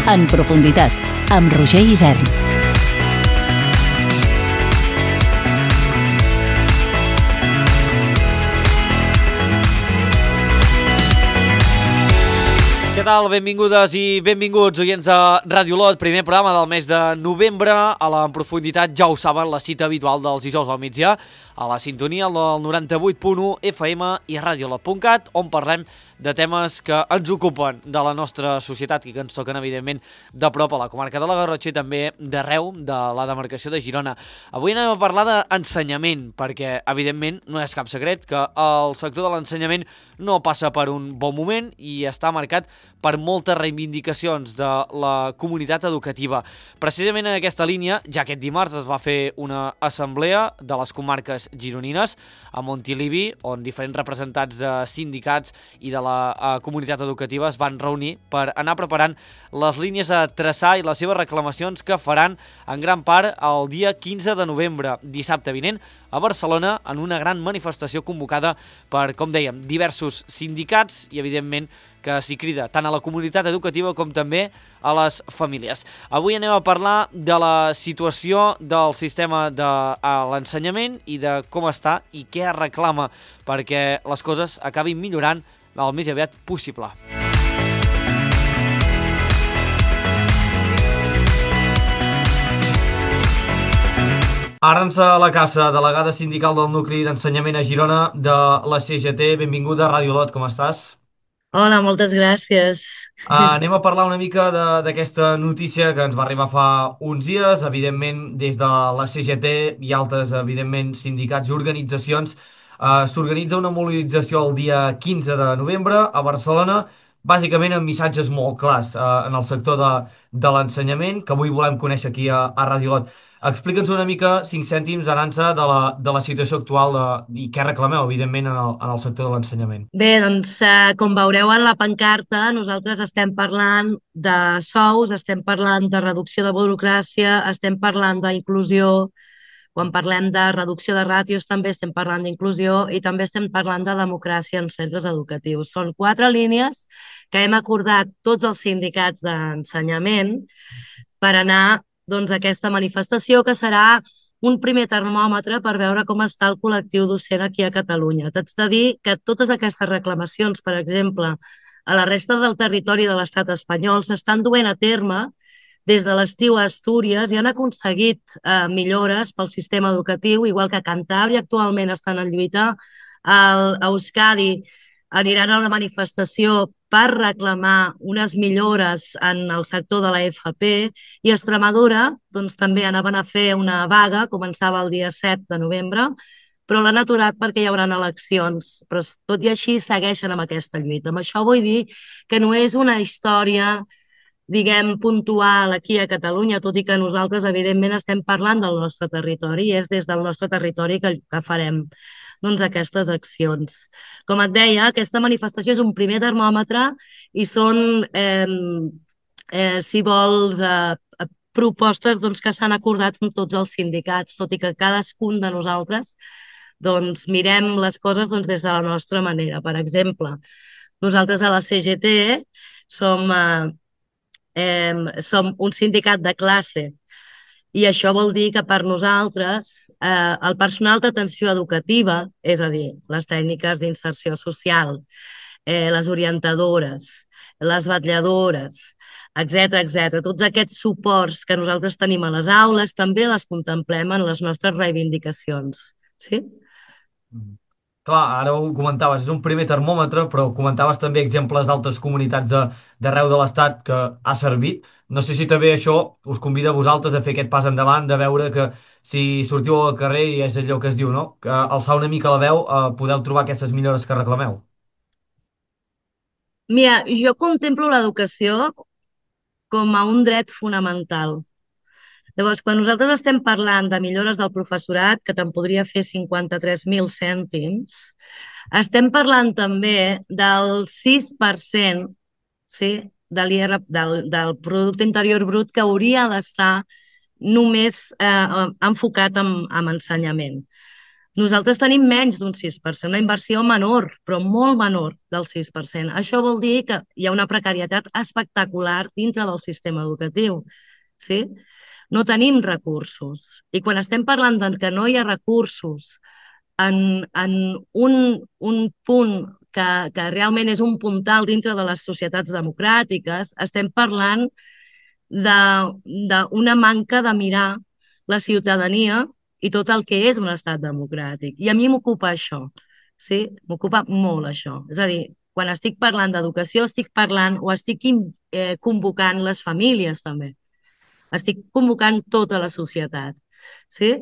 En profunditat, amb Roger Isern. Què tal? Benvingudes i benvinguts, oients de Ràdio Lot, primer programa del mes de novembre. A la En profunditat, ja ho saben, la cita habitual dels dijous al migdia, a la sintonia del 98.1 FM i radiolot.cat, on parlem de temes que ens ocupen de la nostra societat i que ens toquen, evidentment, de prop a la comarca de la Garrotxa i també d'arreu de la demarcació de Girona. Avui anem a parlar d'ensenyament, perquè, evidentment, no és cap secret que el sector de l'ensenyament no passa per un bon moment i està marcat per moltes reivindicacions de la comunitat educativa. Precisament en aquesta línia, ja aquest dimarts es va fer una assemblea de les comarques gironines a Montilivi, on diferents representants de sindicats i de la comunitat educativa es van reunir per anar preparant les línies a traçar i les seves reclamacions que faran en gran part el dia 15 de novembre, dissabte vinent, a Barcelona, en una gran manifestació convocada per, com dèiem, diversos sindicats i, evidentment, que s'hi crida tant a la comunitat educativa com també a les famílies. Avui anem a parlar de la situació del sistema de l'ensenyament i de com està i què es reclama perquè les coses acabin millorant el més aviat possible. Arança Lacassa, delegada sindical del nucli d'ensenyament a Girona de la CGT. Benvinguda a Ràdio Lot, com estàs? Hola, moltes gràcies. Anem a parlar una mica d'aquesta notícia que ens va arribar fa uns dies. Evidentment, des de la CGT i altres, evidentment, sindicats i organitzacions, s'organitza una mobilització el dia 15 de novembre a Barcelona, bàsicament amb missatges molt clars en el sector de l'ensenyament, que avui volem conèixer aquí a Ràdio Lot. Explica'ns una mica, 5 cèntims, Arança, de la situació actual i què reclameu, evidentment, en el sector de l'ensenyament. Bé, doncs, com veureu en la pancarta, nosaltres estem parlant de sous, estem parlant de reducció de burocràcia, estem parlant d'inclusió, quan parlem de reducció de ràtios també estem parlant d'inclusió i també estem parlant de democràcia en centres educatius. Són 4 línies que hem acordat tots els sindicats d'ensenyament per anar doncs, a aquesta manifestació, que serà un primer termòmetre per veure com està el col·lectiu docent aquí a Catalunya. T'haig de dir que totes aquestes reclamacions, per exemple, a la resta del territori de l'estat espanyol, s'estan duent a terme des de l'estiu a Astúries i han aconseguit millores pel sistema educatiu, igual que a Cantàbria actualment estan en lluita. A Euskadi aniran a una manifestació per reclamar unes millores en el sector de la FP i a Extremadura doncs, també anaven a fer una vaga, començava el dia 7 de novembre, però l'han aturat perquè hi haurà eleccions. Però tot i així segueixen amb aquesta lluita. Amb això vull dir que no és una història, diguem, puntual aquí a Catalunya, tot i que nosaltres, evidentment, estem parlant del nostre territori i és des del nostre territori que farem doncs, aquestes accions. Com et deia, aquesta manifestació és un primer termòmetre i són, si vols, propostes doncs, que s'han acordat amb tots els sindicats, tot i que cadascun de nosaltres doncs, mirem les coses doncs, des de la nostra manera. Per exemple, nosaltres a la CGT som un sindicat de classe i això vol dir que per nosaltres el personal d'atenció educativa, és a dir, les tècniques d'inserció social, les orientadores, les vetlladores, etc., tots aquests suports que nosaltres tenim a les aules també les contemplem en les nostres reivindicacions. Sí? Clar, ara ho comentaves, és un primer termòmetre, però comentaves també exemples d'altres comunitats d'arreu de l'Estat que ha servit. No sé si també això us convida a vosaltres a fer aquest pas endavant, de veure que si sortiu al carrer i és allò que es diu, no? Que alçar una mica la veu, podeu trobar aquestes millores que reclameu. Mira, jo contemplo l'educació com a un dret fonamental. Llavors, quan nosaltres estem parlant de millores del professorat, que te'n podria fer 53.000 cèntims, estem parlant també del 6%, sí, del Producte Interior Brut que hauria d'estar només enfocat en ensenyament. Nosaltres tenim menys d'un 6%, una inversió menor, però molt menor del 6%. Això vol dir que hi ha una precarietat espectacular dintre del sistema educatiu. Sí? No tenim recursos. I quan estem parlant de que no hi ha recursos en un punt que realment és un puntal dintre de les societats democràtiques, estem parlant d'una manca de mirar la ciutadania i tot el que és un estat democràtic. I a mi m'ocupa això, sí? M'ocupa molt això. És a dir, quan estic parlant d'educació estic parlant o estic convocant les famílies també. Estic convocant tota la societat, sí?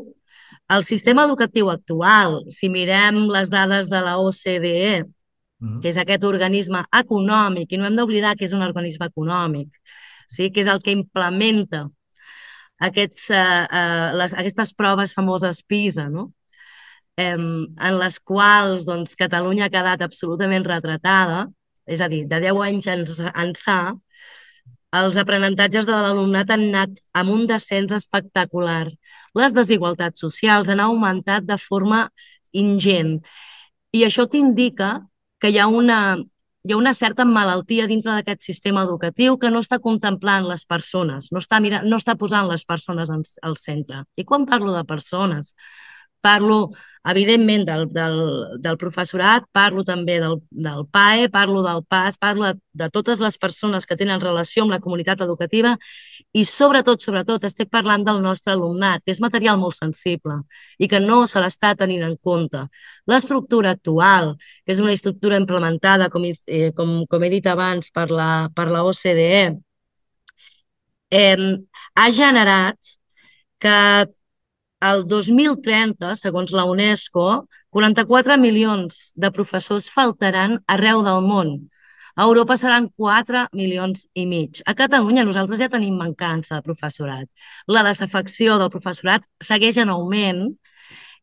El sistema educatiu actual, si mirem les dades de la OCDE, Mhm. que és aquest organisme econòmic, i no hem d'oblidar que és un organisme econòmic, sí? Que és el que implementa aquestes proves famoses PISA, no? En les quals doncs, Catalunya ha quedat absolutament retratada, és a dir, de 10 anys ençà, els aprenentatges de l'alumnat han anat amb un descens espectacular. Les desigualtats socials han augmentat de forma ingent. I això t'indica que hi ha una certa malaltia dintre d'aquest sistema educatiu que no està contemplant les persones, no està posant les persones al centre. I quan parlo de persones, parlo, evidentment, del professorat, parlo també del PAE, parlo del PAS, parlo de totes les persones que tenen relació amb la comunitat educativa i, sobretot, estic parlant del nostre alumnat, que és material molt sensible i que no se l'està tenint en compte. L'estructura actual, que és una estructura implementada, com he dit abans, per la OCDE, ha generat que el 2030, segons la UNESCO, 44 milions de professors faltaran arreu del món. A Europa seran 4 milions i mig. A Catalunya nosaltres ja tenim mancança de professorat. La desafecció del professorat segueix en augment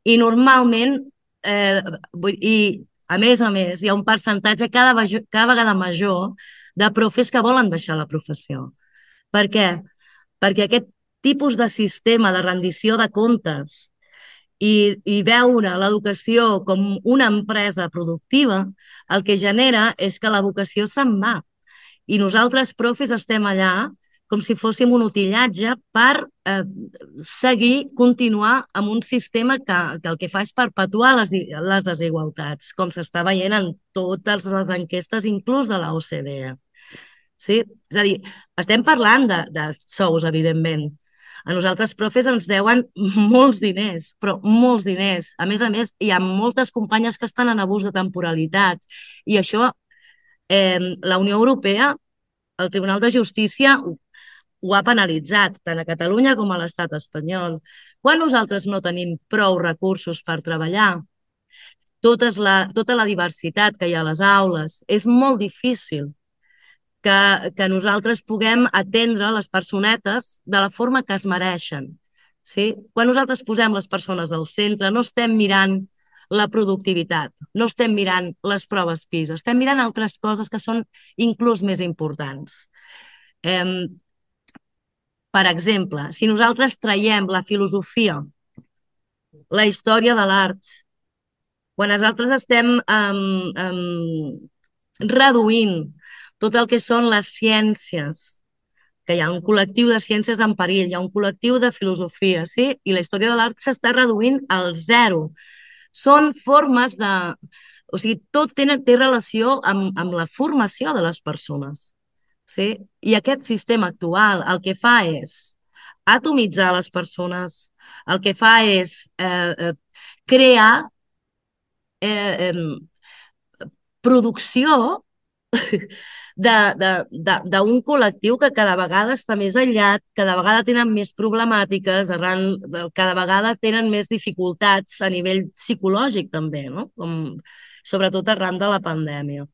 i normalment, i a més, hi ha un percentatge cada vegada major de profes que volen deixar la professió. Per què? Perquè aquest tipus de sistema de rendició de comptes i veure l'educació com una empresa productiva, el que genera és que la vocació se'n va. I nosaltres, profes, estem allà com si fóssim un utillatge per continuar amb un sistema que el que fa és perpetuar les desigualtats, com s'està veient en totes les enquestes, inclús de la OCDE. Sí? És a dir, estem parlant de sous, evidentment. A nosaltres, profes, ens deuen molts diners, però molts diners. A més, hi ha moltes companyes que estan en abús de temporalitat. I això, la Unió Europea, el Tribunal de Justícia, ho ha penalitzat, tant a Catalunya com a l'estat espanyol. Quan nosaltres no tenim prou recursos per treballar, tota la diversitat que hi ha a les aules, és molt difícil que nosaltres puguem atendre les personetes de la forma que es mereixen. Sí? Quan nosaltres posem les persones al centre, no estem mirant la productivitat, no estem mirant les proves PISA, estem mirant altres coses que són inclús més importants. Per exemple, si nosaltres traiem la filosofia, la història de l'art, quan nosaltres estem reduint tot el que són les ciències, que hi ha un col·lectiu de ciències en perill, hi ha un col·lectiu de filosofia, sí? I la història de l'art s'està reduint al zero. Són formes de... O sigui, tot té relació amb la formació de les persones. Sí? I aquest sistema actual el que fa és atomitzar les persones, el que fa és crear producció d'un col·lectiu que cada vegada està més aïllat, cada vegada tenen més problemàtiques, cada vegada tenen més dificultats a nivell psicològic també, no? Sobretot arran de la pandèmia.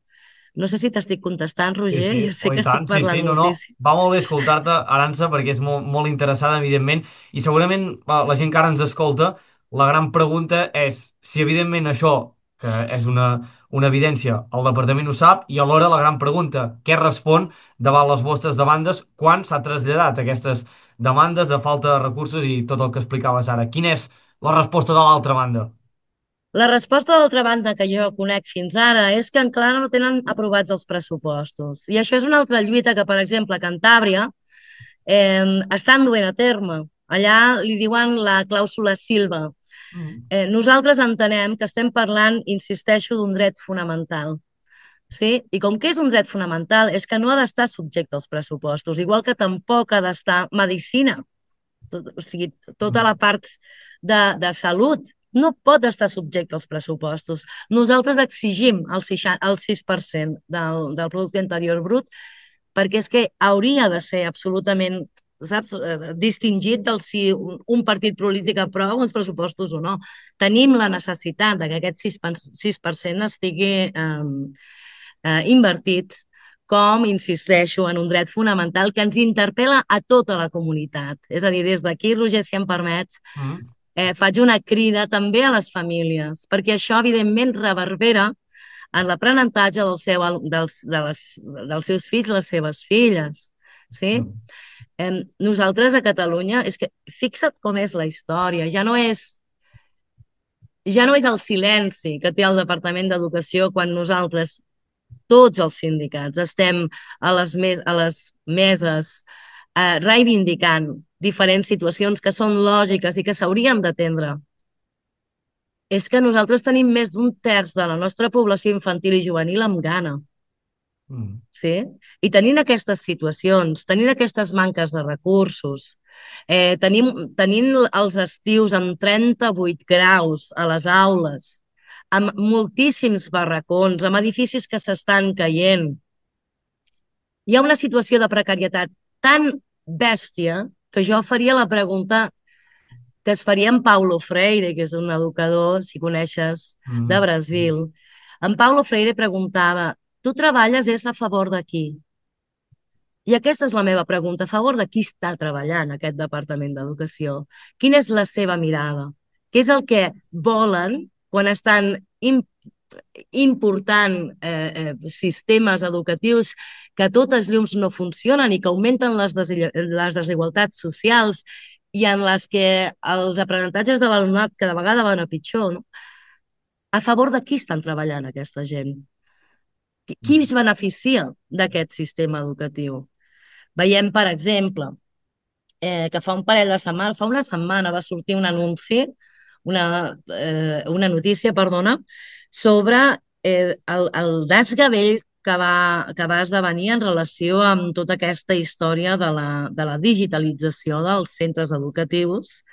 No sé si t'estic contestant, Roger, Sí, jo sé oh, que i tant, estic parlant no, moltíssim. va molt bé escoltar-te, Arança, perquè és molt, molt interessada, evidentment, i segurament la gent que ara ens escolta, la gran pregunta és si, evidentment, això, que és una evidència, el departament ho sap, i alhora la gran pregunta, què respon davant les vostres demandes quan s'ha traslladat aquestes demandes de falta de recursos i tot el que explicaves ara? Quina és la resposta de l'altra banda? La resposta, d'altra banda, que jo conec fins ara és que encara no tenen aprovats els pressupostos. I això és una altra lluita que, per exemple, a Cantàbria estan duent a terme. Allà li diuen la clàusula Silva. Nosaltres entenem que estem parlant, insisteixo, d'un dret fonamental. Sí? I com que és un dret fonamental, és que no ha d'estar subjecte als pressupostos, igual que tampoc ha d'estar medicina. O sigui, tota la part de salut no pot estar subjecte als pressupostos. Nosaltres exigim el 6% del producte interior brut perquè és que hauria de ser absolutament, saps, distingit del si un partit polític aprova uns pressupostos o no. Tenim la necessitat de que aquest 6% estigui invertit com, insisteixo, en un dret fonamental que ens interpel·la a tota la comunitat. És a dir, des d'aquí, Roger, si em permets, faig una crida també a les famílies, perquè això, evidentment, reverbera en l'aprenentatge dels seus fills, les seves filles. Sí? Nosaltres a Catalunya, és que fixa't com és la història, ja no és el silenci que té el Departament d'Educació quan nosaltres, tots els sindicats, estem a les meses reivindicant diferents situacions que són lògiques i que s'haurien d'atendre. És que nosaltres tenim més d'un terç de la nostra població infantil i juvenil amb gana. Sí? I tenint aquestes situacions, tenint aquestes manques de recursos, tenint els estius amb 38 graus a les aules, amb moltíssims barracons, amb edificis que s'estan caient, hi ha una situació de precarietat tan bèstia que jo faria la pregunta que es faria en Paulo Freire, que és un educador, si coneixes, de Brasil. En Paulo Freire preguntava: tu treballes és a favor de qui? I aquesta és la meva pregunta: a favor de qui està treballant aquest Departament d'Educació? Quina és la seva mirada? Què és el que volen quan estan important sistemes educatius que a totes llums no funcionen i que augmenten les desigualtats socials i en les que els aprenentatges de l'alumnat cada vegada van a pitjor, no? A favor de qui estan treballant aquesta gent? Qui es beneficia d'aquest sistema educatiu? Veiem, per exemple, que fa una setmana va sortir un anunci, una notícia, perdona, sobre el desgavell que va esdevenir en relació amb tota aquesta història de la digitalització dels centres educatius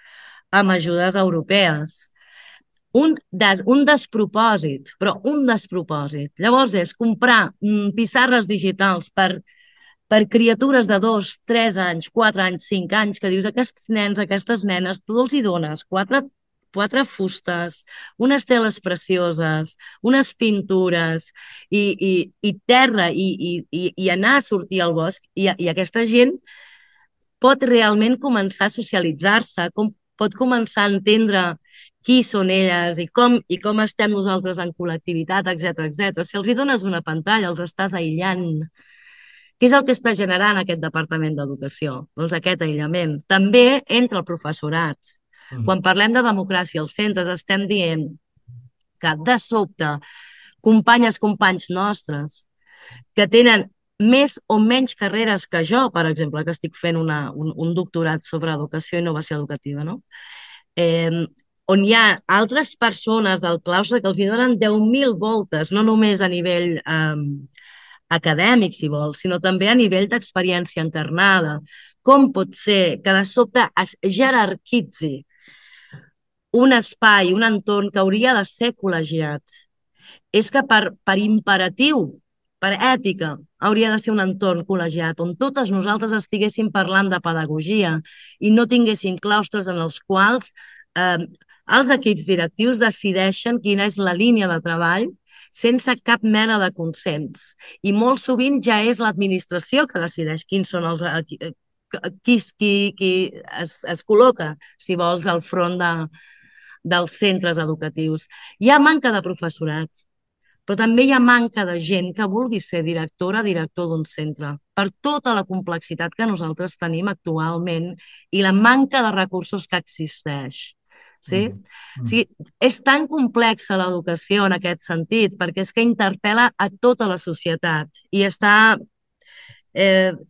amb ajudes europees. Un despropòsit, però un despropòsit. Llavors és comprar pissarres digitals per criatures de 2, 3 anys, 4 anys, 5 anys, que dius, aquests nens, aquestes nenes, tu els hi dones quatre fustes, unes teles precioses, unes pintures i terra i anar a sortir al bosc i aquesta gent pot realment començar a socialitzar-se, pot començar a entendre qui són elles i com estem nosaltres en col·lectivitat, etc. Si els hi dones una pantalla, els estàs aïllant. Què és el que està generant aquest Departament d'Educació? Doncs aquest aïllament. També entre el professorat. Quan parlem de democràcia als centres estem dient que de sobte companys nostres que tenen més o menys carreres que jo, per exemple, que estic fent un doctorat sobre educació i innovació educativa, no? On hi ha altres persones del claustre que els hi donen 10.000 voltes, no només a nivell acadèmic, si vols, sinó també a nivell d'experiència encarnada. Com pot ser que de sobte es jerarquitzi un espai, un entorn que hauria de ser col·legiat? És que per imperatiu, per ètica, hauria de ser un entorn col·legiat on totes nosaltres estiguéssim parlant de pedagogia i no tinguéssim claustres en els quals els equips directius decideixen quina és la línia de treball sense cap mena de consens. I molt sovint ja és l'administració que decideix quins són qui es col·loca, si vols, al front dels centres educatius. Hi ha manca de professorat, però també hi ha manca de gent que vulgui ser directora, director d'un centre, per tota la complexitat que nosaltres tenim actualment i la manca de recursos que existeix. Sí? O sigui, és tan complexa l'educació en aquest sentit, perquè és que interpel·la a tota la societat i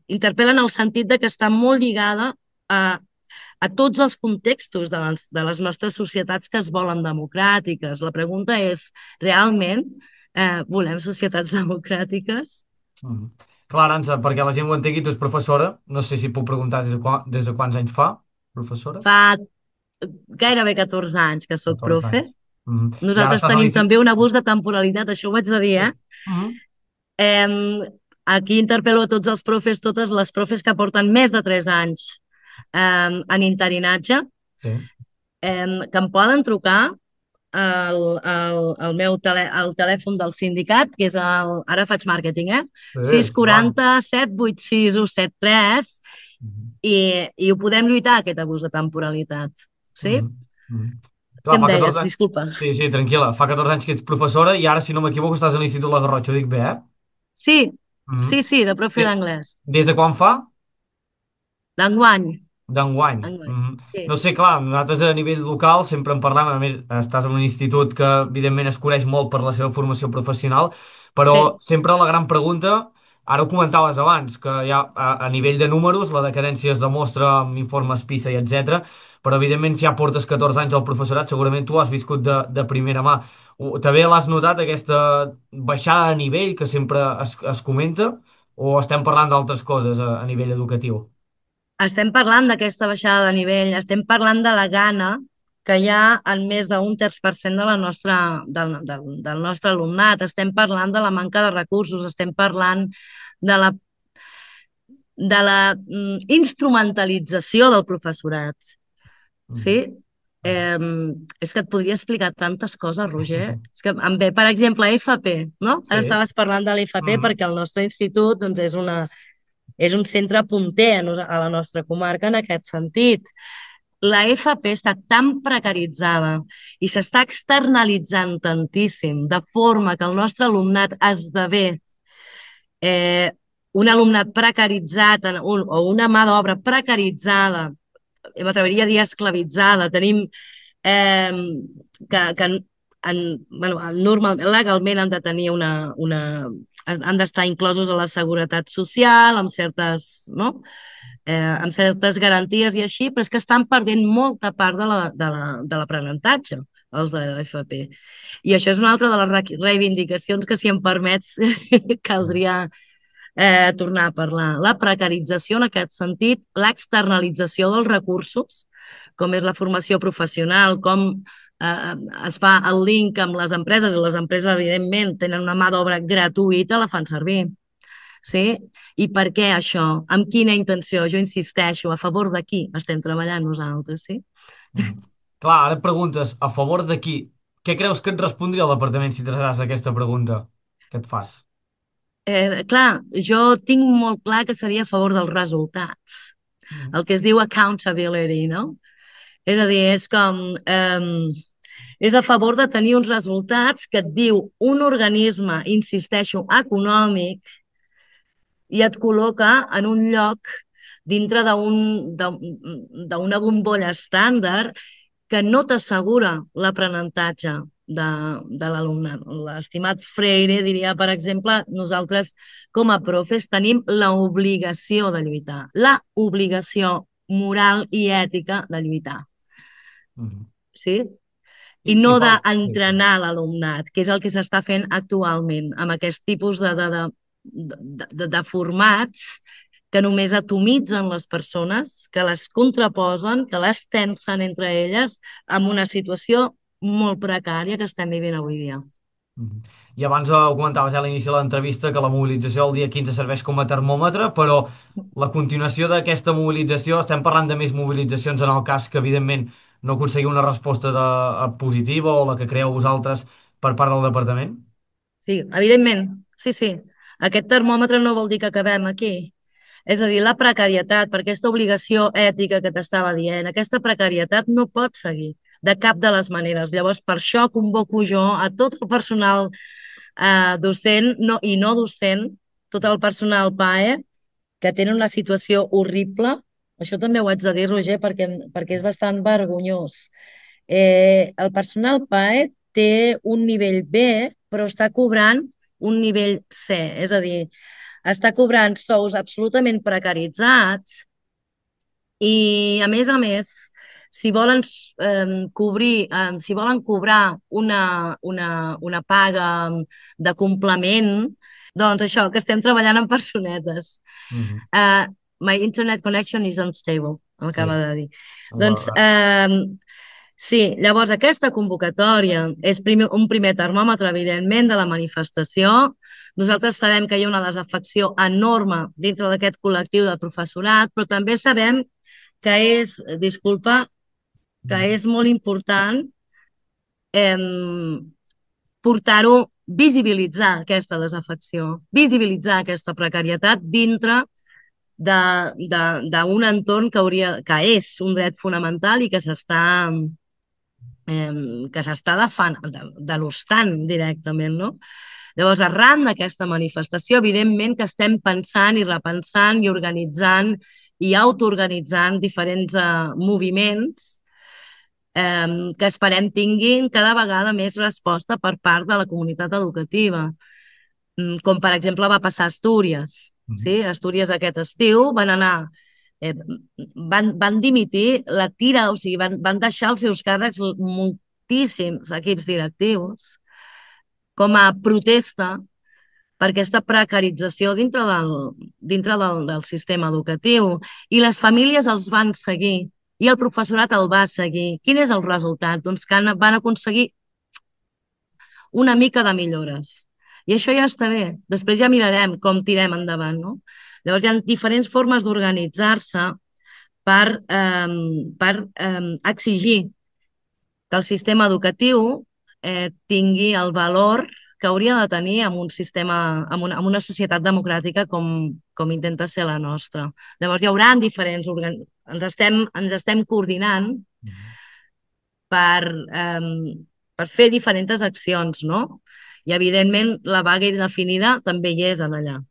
interpel·la en el sentit de que està molt lligada a tots els contextos de les nostres societats que es volen democràtiques. La pregunta és, realment volem societats democràtiques? Clar, Arança, perquè la gent ho entengui, tu ets professora, no sé si puc preguntar des de quants anys fa, professora? Fa gairebé 14 anys que sóc 14 profe. anys. I ara Nosaltres estàs a tenim l'institut... també un abús de temporalitat, això ho haig de dir, Aquí interpel·lo a tots els profes, totes les profes que porten més de 3 anys en interinatge, Sí. que em poden trucar al meu al telèfon del sindicat, que és ara faig màrqueting, Sí, endavant. 640 786 173, i ho podem lluitar, aquest abús de temporalitat. Sí? Mhm, mhm. Què Clar, em fa 14 deies? anys... Disculpa. Sí, sí, tranquil·la. Fa 14 anys que ets professora i ara, si no m'equivoco, estàs a l'Institut La Garrotxa. Ho dic bé, eh? Sí, Mhm. sí, de profe De- d'anglès. Des de quan fa? D'enguany. D'enguany. Enguany. Sí, No sé, clar, nosaltres a nivell local sempre en parlem, a més estàs en un institut que evidentment es coneix molt per la seva formació professional, però sí. sempre la gran pregunta, ara ho comentaves abans, que ja a nivell de números la decadència es demostra amb informes PISA i etc. Però evidentment si ja portes 14 anys al professorat segurament tu has viscut de primera mà. També l'has notat aquesta baixada de nivell que sempre es comenta o estem parlant d'altres coses a nivell educatiu? Estem parlant d'aquesta baixada de nivell, estem parlant de la gana que hi ha en més d'un terç per cent de del nostre alumnat, estem parlant de la manca de recursos, estem parlant de la instrumentalització del professorat. Sí? Mhm. Mhm. És que et podria explicar tantes coses, Roger. És que em ve, per exemple, FP, no? Ara Sí. estaves parlant de l'FP Mhm. perquè el nostre institut doncs, és un centre punter a la nostra comarca en aquest sentit. La FP està tan precaritzada i s'està externalitzant tantíssim, de forma que el nostre alumnat esdevé eh, un alumnat precaritzat o una mà d'obra precaritzada, m'atreviria a dir esclavitzada. Tenim eh, que bueno, normalment, legalment han de tenir han d'estar inclosos a la seguretat social, amb certes, no? Amb certes garanties i així, però és que estan perdent molta part de l'aprenentatge, els de l'FP. I això és una altra de les reivindicacions que, si em permets, caldria tornar a parlar. La precarització en aquest sentit, l'externalització dels recursos, com és la formació professional, com eh, es fa el link amb les empreses, i les empreses, evidentment, tenen una mà d'obra gratuïta, la fan servir. Sí? I per què això? Amb quina intenció? Jo insisteixo, a favor de qui estem treballant nosaltres, sí? Mhm. Clar, ara et preguntes a favor de qui? Què creus que et respondria el departament si traslladàs aquesta pregunta que et fas? Clar, jo tinc molt clar que seria a favor dels resultats, Mhm. el que es diu accountability, no? És a dir, és com... és a favor de tenir uns resultats que et diu un organisme, insisteixo, econòmic, i et col·loca en un lloc dintre d'una bombolla estàndard que no t'assegura l'aprenentatge de l'alumnat. L'estimat Freire diria, per exemple, nosaltres com a profes tenim l'obligació de lluitar, la obligació moral i ètica de lluitar, Mhm. sí? I I no quan... Sí, sí. d'entrenar l'alumnat, que és el que s'està fent actualment amb aquest tipus de formats que només atomitzen les persones, que les contraposen, que les tensen entre elles amb una situació molt precària que estem vivint avui dia. Mhm. I abans ho comentaves ja a l'inici de l'entrevista que la mobilització del dia 15 serveix com a termòmetre, però la continuació d'aquesta mobilització, estem parlant de més mobilitzacions en el cas que evidentment no aconseguim una resposta positiva o la que creeu vosaltres per part del departament? Sí, evidentment, sí, sí. Aquest termòmetre no vol dir que acabem aquí. És a dir, la precarietat, per aquesta obligació ètica que t'estava dient, aquesta precarietat no pot seguir de cap de les maneres. Llavors, per això convoco jo a tot el personal docent i no docent, tot el personal PAE, que tenen una situació horrible. Això també ho haig de dir, Roger, perquè és bastant vergonyós. El personal PAE té un nivell B, però està cobrant un nivell C, és a dir, està cobrant sous absolutament precaritzats i, a més, si volen si volen cobrar una paga de complement, doncs això, que estem treballant amb personetes. Mhm. My internet connection is unstable, m'acaba Sí, de dir. Doncs, la- sí, llavors aquesta convocatòria és un primer termòmetre, evidentment, de la manifestació. Nosaltres sabem que hi ha una desafecció enorme dintre d'aquest col·lectiu de professorat, però també sabem que disculpa, que és molt important portar-ho, visibilitzar aquesta desafecció, visibilitzar aquesta precarietat dintre d'un entorn que és un dret fonamental i que s'està denostant directament, no? Llavors, arran d'aquesta manifestació, evidentment que estem pensant i repensant i organitzant i autoorganitzant diferents moviments que esperem tinguin cada vegada més resposta per part de la comunitat educativa. Com per exemple va passar a Astúries. Mhm. Sí? A Astúries aquest estiu van dimitir la tira, o sigui, van deixar els seus càrrecs moltíssims equips directius com a protesta per aquesta precarització dintre del sistema educatiu. I les famílies els van seguir i el professorat el va seguir. Quin és el resultat? Doncs que van aconseguir una mica de millores. I això ja està bé. Després ja mirarem com tirem endavant, no? Llavors hi ha diferents formes d'organitzar-se per exigir que el sistema educatiu tingui el valor que hauria de tenir en un sistema, en una societat democràtica com intenta ser la nostra. Llavors hi haurà diferents ens estem coordinant Mhm. per fer diferents accions, no? I, evidentment, la vaga indefinida també hi és en allà.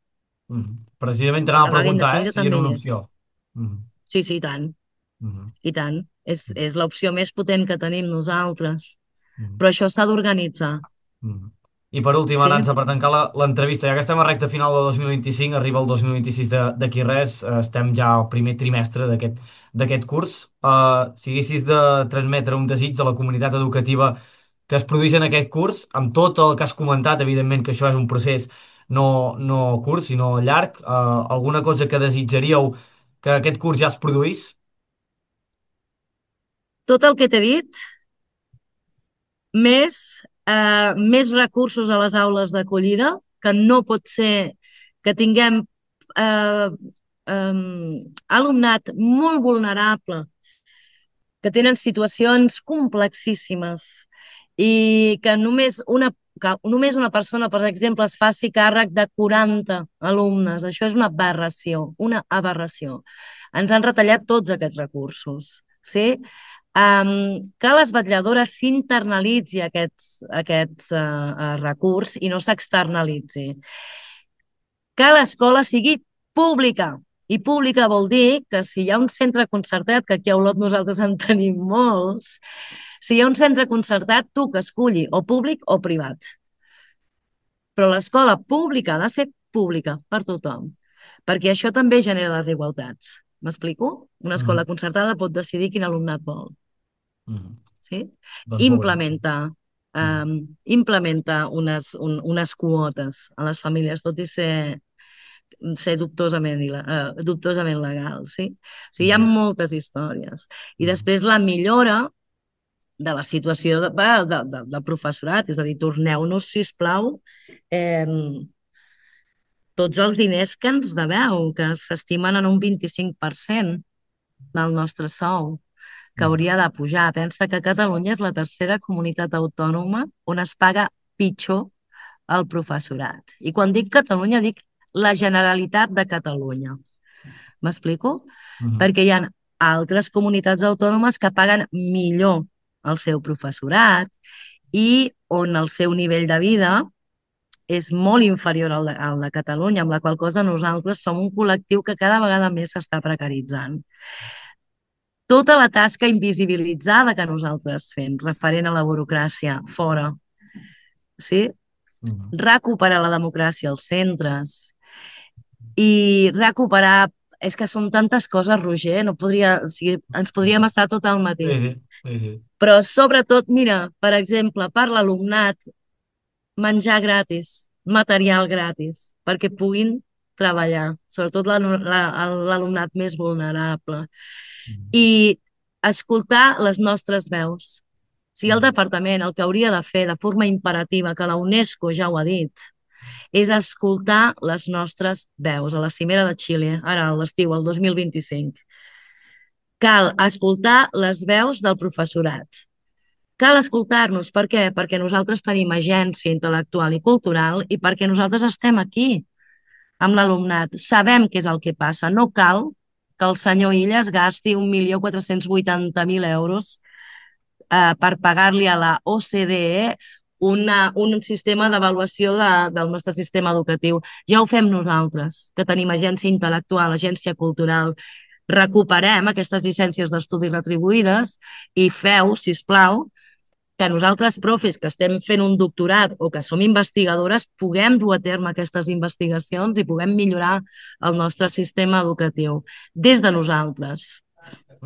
Mhm. Precisament t'anava La a vaga preguntar, indefinida si era també una hi és. opció. Mhm. Sí, sí, i tant. Mhm. I tant. És l'opció més potent que tenim nosaltres. Mhm. Però això s'ha d'organitzar. Mm. I per últim, Sí? Aranza, per tancar l'entrevista, ja que estem a recta final de 2025, arriba el 2026 d'aquí res, estem ja al primer trimestre d'aquest curs. Si haguessis de transmetre un desig a la comunitat educativa que es produeix en aquest curs, amb tot el que has comentat, evidentment que això és un procés no curt, sinó llarg, alguna cosa que desitjaríeu que aquest curs ja es produís? Tot el que t'he dit, més recursos a les aules d'acollida, que no pot ser que tinguem eh, alumnat molt vulnerable, que tenen situacions complexíssimes i que només una persona, per exemple, es faci càrrec de 40 alumnes. Això és una aberració, una aberració. Ens han retallat tots aquests recursos, sí? Que a les vetlladores s'internalitzi aquest recurs i no s'externalitzi. Que l'escola sigui pública. I pública vol dir que si hi ha un centre concertat, que aquí a Olot nosaltres en tenim molts, si hi ha un centre concertat, tu que esculli o públic o privat. Però l'escola pública ha de ser pública per tothom, perquè això també genera desigualtats. M'explico? Una escola Mhm. concertada pot decidir quin alumnat vol. Mhm. Sí? Doncs molt bé. Implementa, Mhm. implementa unes quotes a les famílies, tot i ser dubtosament legal, sí? O sigui, hi ha Mhm. moltes històries. I Mhm. després la millora de la situació del professorat, és a dir, torneu-nos, sisplau, eh, tots els diners que ens deveu, que s'estimen en un 25% del nostre sou, que Mhm. hauria de pujar. Pensa que Catalunya és la tercera comunitat autònoma on es paga pitjor el professorat. I quan dic Catalunya, dic la Generalitat de Catalunya. M'explico? Mhm. Perquè hi ha altres comunitats autònomes que paguen millor el seu professorat i on el seu nivell de vida és molt inferior al de Catalunya, amb la qual cosa nosaltres som un col·lectiu que cada vegada més s'està precaritzant. tota la tasca invisibilitzada que nosaltres fem, referent a la burocràcia, fora. Sí? Recuperar la democràcia als centres i recuperar... És que són tantes coses, Roger, no podria... O sigui, ens podríem estar tot el matí. Sí. Però sobretot, mira, per exemple, per l'alumnat, menjar gratis, material gratis, perquè puguin treballar, sobretot l'alumnat més vulnerable. I escoltar les nostres veus. O sigui, el departament el que hauria de fer de forma imperativa, que la UNESCO ja ho ha dit, és escoltar les nostres veus a la cimera de Xile, ara a l'estiu, el 2025. Cal escoltar les veus del professorat. Cal escoltar-nos. Per què? Perquè nosaltres tenim agència intel·lectual i cultural i perquè nosaltres estem aquí amb l'alumnat. Sabem què és el que passa. No cal que el senyor Illas gasti 1.480.000 euros per pagar-li a la OCDE un sistema d'avaluació del nostre sistema educatiu. Ja ho fem nosaltres, que tenim agència intel·lectual, agència cultural. Recuperem aquestes llicències d'estudi retribuïdes i feu, sisplau, que nosaltres, profes, que estem fent un doctorat o que som investigadores, puguem dur a terme aquestes investigacions i puguem millorar el nostre sistema educatiu des de nosaltres.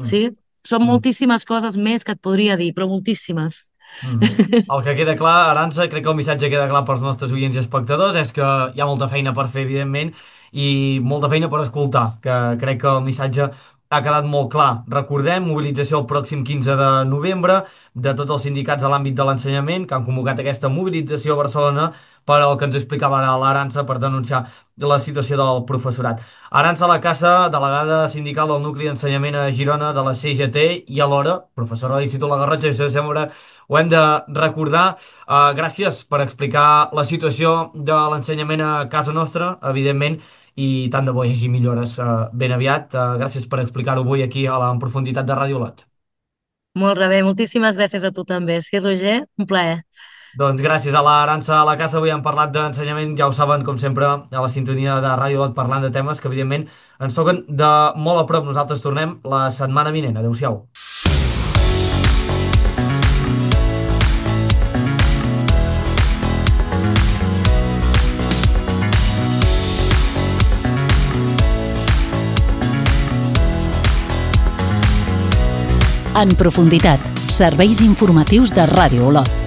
Sí? Són moltíssimes coses més que et podria dir, però moltíssimes. El que queda clar, Arantxa, crec que el missatge queda clar pels nostres oients i espectadors, és que hi ha molta feina per fer, evidentment, i molta feina per escoltar, que crec que el missatge ha quedat molt clar. Recordem, mobilització el pròxim 15 de novembre de tots els sindicats a l'àmbit de l'ensenyament que han convocat aquesta mobilització a Barcelona per al que ens explicava ara l'Arantxa per denunciar la situació del professorat. Arantxa Lacasa, delegada sindical del Nucli d'Ensenyament a Girona de la CGT i alhora professora de l'Institut La Garrotxa, això sempre ho hem de recordar. Gràcies per explicar la situació de l'ensenyament a casa nostra, evidentment, i tant de bo hi hagi millores ben aviat. Gràcies per explicar-ho avui aquí en profunditat de Ràdio Lot. Molt bé, moltíssimes gràcies a tu també. Sí, Roger, un plaer. Doncs gràcies a l'Arantxa Lacasa. Avui hem parlat d'ensenyament, ja ho saben, com sempre, a la sintonia de Ràdio Lot, parlant de temes que, evidentment, ens toquen de molt a prop. Nosaltres tornem la setmana vinent. Adéu-siau. En profunditat, serveis informatius de Ràdio Olot.